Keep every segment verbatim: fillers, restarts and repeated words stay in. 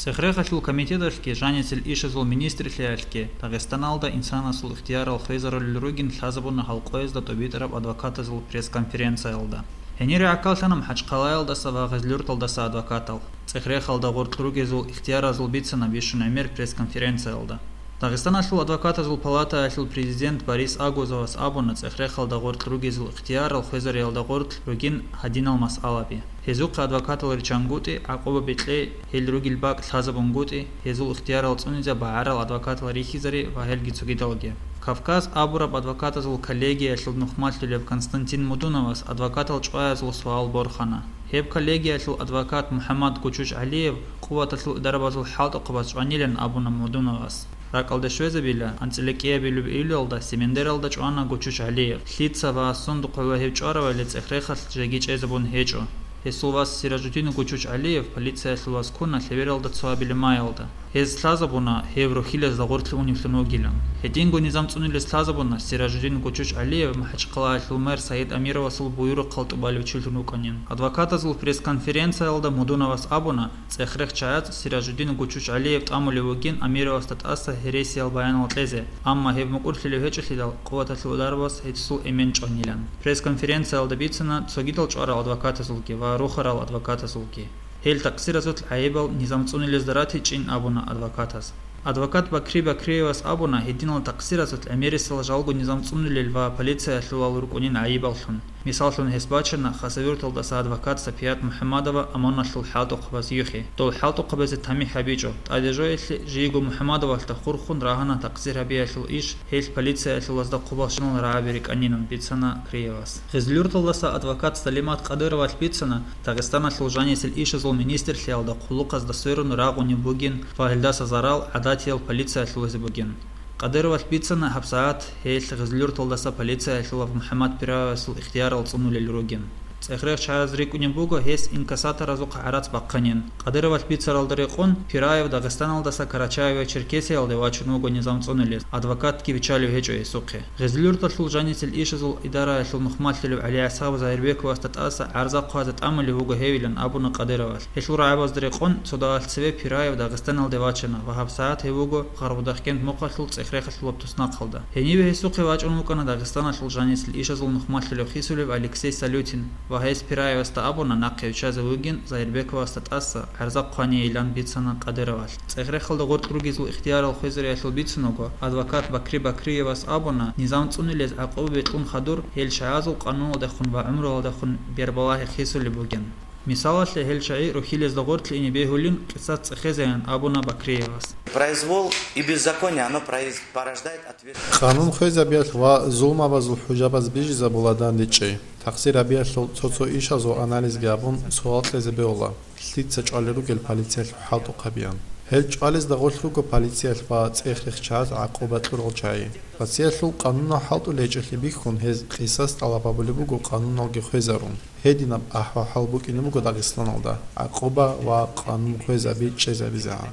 Цех-рехалъул комитеталъги жанисел ишазул министрлъиялъги Дагъистаналда инсанасул ихтиярал хвезарулел ругин лъазабуна гьал къоязда тӀубитӀараб адвокатазул пресс-конференциялда. Гьенире гӀахьаллъана МахӀачхъалаялдаса ва Гъезлъюрталдаса адвокатал. Цех-рехалда гъоркь ругезул ихтияразул бицана бищун гӀемер пресс-конференциялда. Дагъистаналъул адвокатазул палатаялъул президент Борис Агузовас абуна цех-рехалда гъоркь ругезул ихтиярал хвезариялда гъоркь ругин гьадинал масъалаби. Гьезухъе адвокатал риччангутӀи, гӀакъуба бекьей, гьел ругел бакӀ лъазабунгутӀи, гьезул ихтиярал цӀунизе багӀарал адвокатал рихьизари ва гьелги цогидалги. Кавказ абураб адвокатазул коллегиялъул нухмалъулеб Константин Мудуновас адвокатал чӀваязул суал борхана. Гьеб коллегиялъул адвокат МухӀаммад Гучуч ГӀалиев къуваталъул идарабазул хӀалтӀухъабаз чӀванилан абуна Мудуновас. РакӀалде щвезабила, анцӀила кӀиабилеб июлалда Семендералда чӀвана Гучуч ГӀалиев. Лъица ва сундухъ гьев чӀваравали цех-рехалъ жеги чӀезабун гьечӀо. Гьесул вас Сиражудин Гучуч ГӀалиев полициялъул вас ккуна лъебералда цо абилеб майалда. Гьез лъазабуна, гьев рухьилазда гъорлъ уневлъун вугилан. Гьединго низам цӀунулес лъазабуна Сиражудин Гучуч ГӀалиев МахӀачхъалаялъул мэр Саид Амировасул буюрухъал тӀубалев чилъун вукӀанин. Адвокатазул пресс-конференциялда Мудуновас абуна, цех-рех чагӀаз Сиражудин Гучуч ГӀалиев тӀамулев вугин Амировасда тӀаса гьересиял баянал кьезе, амма гьеб мукӀурлъилев гьечӀелъидал, къуваталъул дарбас гьесул эмен чӀванилан. Пресс-конференциялда бицана цогидал чӀварал адвокатазулги ва рухарал адвокатазулги. Гьел такъсиразул гӀайибал низам цӀунулезда ратичӀин абуна адвокатаз. Адвокат Бакри Бакриевас абуна гьединал такъсиразул гӀемерисел жалго низам цӀунулел ва полициялъулал рукӀунин гӀайибаллъун. Мисаллъун, гьес бачана Хасавюрталдаса адвокат Сапият МухӀамадова ОМОНалъул хӀалтӀухъабаз юхи. Дол хӀалтӀухъабазе тамихӀ гьабичӀо. ТӀаде жоялъе, жийго МухӀамадовалъда хурхун рагьана такъсир гьабиялъул иш, гьелъ полициялъулазда хъубалщинал рагӀаби рикӀкӀанинан, бицана Бакриевас. Гъезлъюрталдаса адвокат Салимат Къадыровалъ бицана, Дагъистаналъул жанисел ишазул министрлъиялда хъулухъазда сверун рагъунеб бугин ва гьелдаса зарал гӀадатиял полициялъулазе бугин. Къадыровалъ бицана гьабсагӀат гьелъ Гъезлъюрталдаса полициялъулав МухӀаммад Пираевасул ихтиярал цӀунулел ругин. ЦехрехчагӀаз рикӀкӀунеб буго гьес инкассаторазухъ гӀарац бахъанин. Къадыровалъ бицаралда рекъон, Пираев Дагъистаналдаса Карачаево-Черкесиялде вачун вуго низам цӀунулез, адвокатги биччалев гьечӀо гьесухъе. Гъезлъюрталъул жанисел ишазул идараялъул нухмалъулев ГӀалигӀисаб Загьирбековасда тӀаса гӀарза хъвазе тӀамулев вуго гьевилан абуна Къадыровалъ. Гьелъул рагӀабазда рекъон, цо дагьалъ цеве Пираев Дагъистаналде вачана ва гьабсагӀат гьев вуго Гъарбудахкент мухъалъул цех-рехалъулаб туснахъалда. Гьениве гьесухъе вачӀун вукӀана Дагъистаналъул жанисел ишазул нухмалъулев хисулев Алексей Салютин ва гьес Пираевасда абуна нахъе виччазе вугин Загьирбековасда тӀаса гӀарза хъванейилан, бицана Къадыровалъ. Цехрехалда гъоркь ругезул ихтиярал хвезариялъул бицун вуго, адвокат Бакри Бакриевас абуна, низам цӀунулез гӀакъуба бекьун хадур, гьел чагӀазул къануналдехун ва гӀумруялдехун бербалагьи хисулеб бугин. Мисалалъе, гьел чагӀи рухьилезда гъоркье ине бегьулин къисас цӀехезеян абуна Бакриевас. Произвол и беззаконие, оно произ-, порождает ответственность. Къанун хвезабиялъ ва зулмабазул хӀужабаз бижизабула дандечӀей. Такъсир гьабиялъул цо-цо ишазул анализги гьабун, суал кьезе бегьула, лъица чӀвалел ругел полициялъул хӀалтӀухъабиян. Гьел чӀвалезда гъорлъ руго полициялъ ва цех-рех чагӀаз гӀакъуба кьурал чагӀи. Россиялъул къанунал хӀалтӀулел гьечӀелъи бихьун, гьез къисас тӀалаб гьабулеб буго къануналги хвезарун. Гьединаб ахӀвал-хӀал букӀине буго Дагъистаналда, гӀакъуба ва къанун хвезаби чӀезабизегӀан.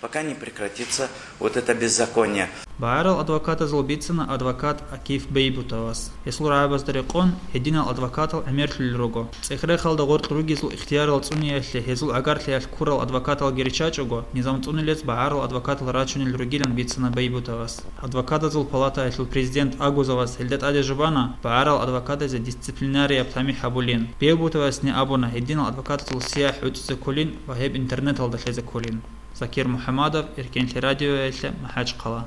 Пока не прекратится вот это беззаконие. БагӀарал адвокатазул бицана адвокат Акиф Бейбутовас. Гьесул рагӀабазда рекъон, гьединал адвокатал гӀемерлъулел руго. Цехрехалда гъоркь ругезул ихтиярал цӀуниялъе гьезул гӀагарлъиялъ ккурал адвокаталги риччачӀого, низам цӀунулез багӀарал адвокатал рачунел ругилан бицана Бейбутовас. Адвокатазул палатаялъул президент Агузовас гьелда тӀаде жубана багӀарал адвокатазе дисциплинарияб тамихӀ гьабулин. Бейбутовасни абуна гьединал адвокатазул сияхӀ гӀуцӀизе кколин ва гьеб интернеталда лъезе кколин. Закир МухӀамадов, Эркенлъи радиоялъе, МахӀачхъала.